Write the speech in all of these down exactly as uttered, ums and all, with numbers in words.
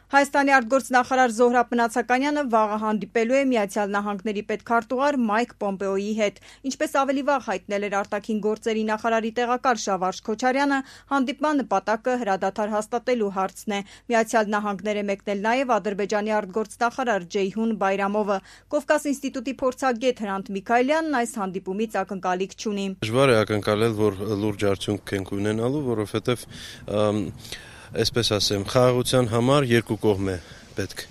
Հայաստանի արտգործնախարար Զոհրաբ Մնացականյանը վաղը հանդիպելու է Միացյալ Նահանգների պետքարտուղար Մայք Պոմպեոյի հետ։ Ինչպես ավելի վաղ հայտնել էր արտաքին գործերի նախարարի տեղակալ Շավարժ Քոչարյանը, հանդիպման նպատակը հրադադար հաստատելու հարցն է։ Միացյալ Նահանգներ է մեկնել նաև Ադրբեջանի արտգործնախարար Ջեյհուն Բայրամովը։ Կովկաս ինստիտուտի փորձագետ Հրանտ Միքայելյանն այս հանդիպումից ակնկալիք չունի։ Դժվար է ակնկալել, որ լուրջ արդյունք ենք ունենալու, որովհետև այսպես ասեմ, խաղաղության համար երկու կողմ է պետք,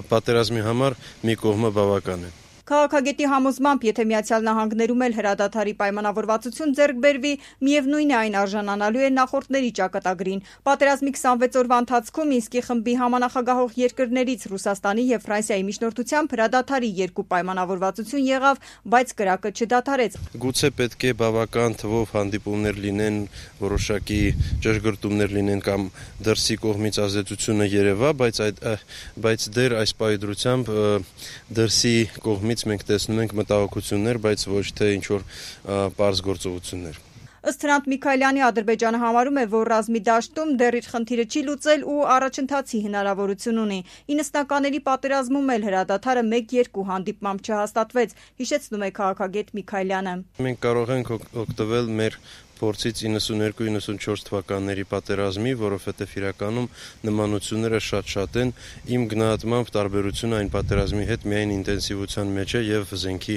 պատերազմի համար մի կողմը բավական է։ Քաղաքագետի համոզմամբ, եթե Միացյալ Նահանգներում էլ հրադադարի պայմանավորվածություն ձեռք բերվի, միևնույն է այն արժանանալու է նախորդների ճակատագրին։ Պատերազմի քսանվեց օրվա ընթացքում Մինսկի խմբի համանախագահող երկրներից Ռուսաստանի եւ Ֆրանսիայի միջնորդությամբ հրադադարի երկու պայմանավորվածություն եղավ, բայց կրակը չդադարեց։ Գուցե պետք է բավական թվով հանդիպումներ լինեն, որոշակի ճշգրտումներ լինեն կամ դրսի կողմից ազդեցությունը երևա, բայց այդ բայց դեռ այս պայդրությամբ դրսի կողմից մենք տեսնում ենք մտահոգություններ, բայց ոչ թե ինչ-որ պարզ գործողություններ։ Ըստ Հրանտ Միքայելյանի, Ադրբեջանը համարում է, որ ռազմի դաշտում դեռ իր խնդիրը չի լուծել ու առաջընթացի հնարավորություն ունի։ իննսունականների պատերազմում էլ հրադադարը մեկ-երկու հանդիպմամբ չհաստատվեց, հիշեցնում է քաղաքագետ Միքայելյանը։ Մենք կարող ենք օգտվել մեր փորձից իննսուններկու իննսունչորս թվականների պատերազմի, որովհետև իրականում նմանությունները շատ-շատ են, իմ գնահատմամբ տարբերությունը այն պատերազմի հետ միայն ինտենսիվության մեջ է եւ զենքի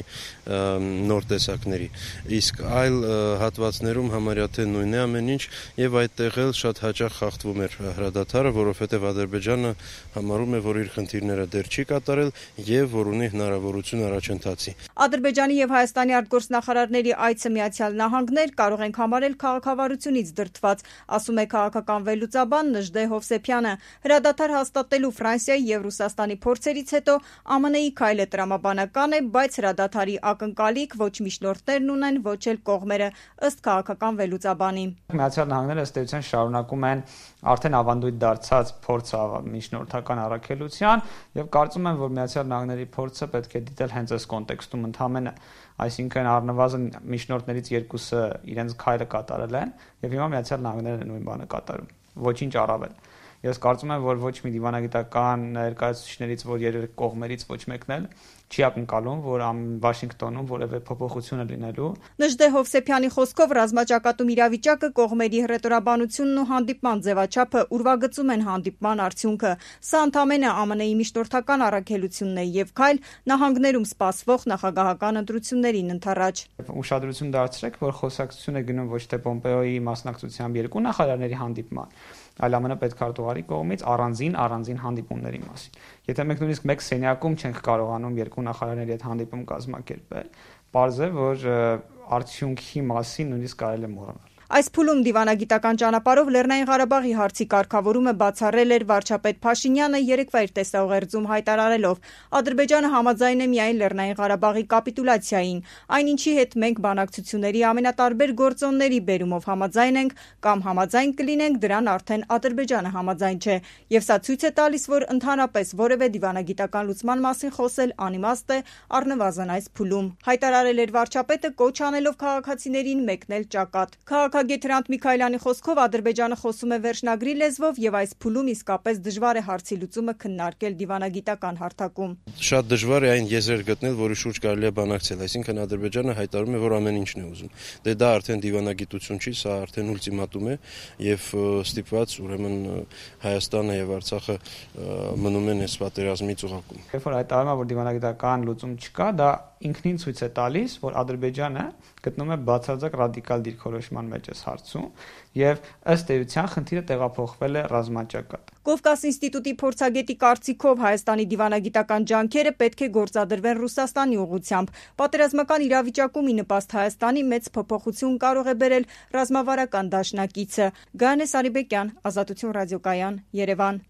նոր տեսակների։ Իսկ այլ հատվածներում համարյա թե նույնն է ամեն ինչ եւ այդտեղ էլ շատ հաճախ խախտվում էր հրադադարը, որովհետև Ադրբեջանը համարում է, որ իր խնդիրները դեռ չի կատարել եւ որ ունի հնարավորություն առաջընթացի։ Ադրբեջանի եւ Հայաստանի արտգործնախարարների այցը Միացյալ Նահանգներ կարող են համարել քաղաքավարությունից դրդված, ասում է քաղաքական վերլուծաբան Նժդե Հովսեփյանը։ Հրադադար հաստատելու Ֆրանսիայի եւ Ռուսաստանի փորձերից հետո ԱՄՆ-ի քայլը տրամաբանական է, բայց հրադադարի ակնկալիք ոչ միջնորդներն ունեն, ոչ էլ կողմերը, ըստ քաղաքական վերլուծաբանի։ Միացյալ Նահանգները ըստ էության շարունակում են արդեն ավանդույթ դարձած փորձը միջնորդական առաքելության եւ կարծում եմ, որ Միացյալ Նահանգների փորձը պետք է դիտել հենց այս կոնտեքստում ընդհանրապես, այսինքն առնվազն միջնորդներից երկուսը իրենց քայլը կատարել են եւ հիմա Միացյալ Նահանգներն են նույն բանը կատարում, ոչինչ առավել։ Ես կարծում եմ, որ ոչ մի դիվանագիտական ներկայացուցիչներից, որ երեք կողմերից ոչ մեկն էլ չի ակնկալում, որ Վաշինգտոնում որևէ փոփոխություն է լինելու։ Նժդե Հովսեփյանի խոսքով ռազմաճակատում իրավիճակը, կողմերի հռետորաբանությունն ու հանդիպման ձևաչափը ուրվագծում են հանդիպման արդյունքը։ Սա ընդամենը ԱՄՆ-ի միջնորդական առաքելությունն է եւ քայլ նահանգներում սպասվող նախագահական ընտրություններին ընդառաջ։ Ուշադրություն դարձրեք, որ խոսակցություն է գնում ոչ թե Պոմպեոյի մասնակցությամբ երկու նախարարների հանդիպման, այլ ԱՄՆ պետքարտուղարի կողմից առանձին առանձին հանդիպումների մասին։ Եթե մենք նույնիսկ մեկ սենյակում չենք կարողանում երկու նախարարների հետ հանդիպում կազմակերպել, պարզ է, որ արդյունքի մասին նույնիսկ կարելի է մոռանալ։ Այս փուլում դիվանագիտական ճանապարհով Լեռնային Ղարաբաղի հարցի կարգավորումը բացառել էր վարչապետ Փաշինյանը երեկվա իր տեսաուղերձում հայտարարելով. Ադրբեջանը համաձայն է միայն Լեռնային Ղարաբաղի կապիտուլյացիային, այնինչի հետ մենք բանակցությունների ամենատարբեր գործոնների բերումով համաձայն ենք կամ համաձայն կլինենք, դրան արդեն Ադրբեջանը համաձայն չէ, եւ սա ցույց է տալիս, որ ընդհանրապես որևէ դիվանագիտական լուծման մասին խոսել անիմաստ է, առնվազն այս փուլում, հայտարարել էր վարչապետը, կոչ անելով քաղաքացիներին մեկնել ճակատ։ Քաղաքագետ Հրանտ Միքայելյանի խոսքով Ադրբեջանը խոսում է վերջնագրի լեզվով եւ այս փուլում իսկապես դժվար է հարցի լուծումը քննարկել դիվանագիտական հարթակում։ Շատ դժվար է այն եզրեր գտնել, որի շուրջ կարելի է բանակցել, այսինքն Ադրբեջանը հայտարարում է, որ ամեն ինչն է ուզում։ Դե դա արդեն դիվանագիտություն չի, սա արդեն ուլտիմատում է եւ ստիպված ուրեմն Հայաստանը եւ Արցախը մնում են այս պատերազմի ծուղակում։ Երբ որ հայտարարում է, որ դիվանագիտական լուծում չկա, դա ինքնին ցույց է տալիս, որ Ադրբեջանը գտնում է բացարձակ ռադիկալ դիրքորոշման մեջ այս հարցում եւ ըստ էության խնդիրը տեղափոխվել է ռազմաճակատ։ Կովկաս ինստիտուտի փորձագետի կարծիքով Հայաստանի դիվանագիտական ջանքերը պետք է գործադրվեն Ռուսաստանի ուղղությամբ։ Պատերազմական իրավիճակում ի նպաստ Հայաստանի մեծ փոփոխություն կարող է բերել ռազմավարական դաշնակիցը։ Գայանե Սարիբեկյան, Ազատություն ռադիոկայան, Երևան։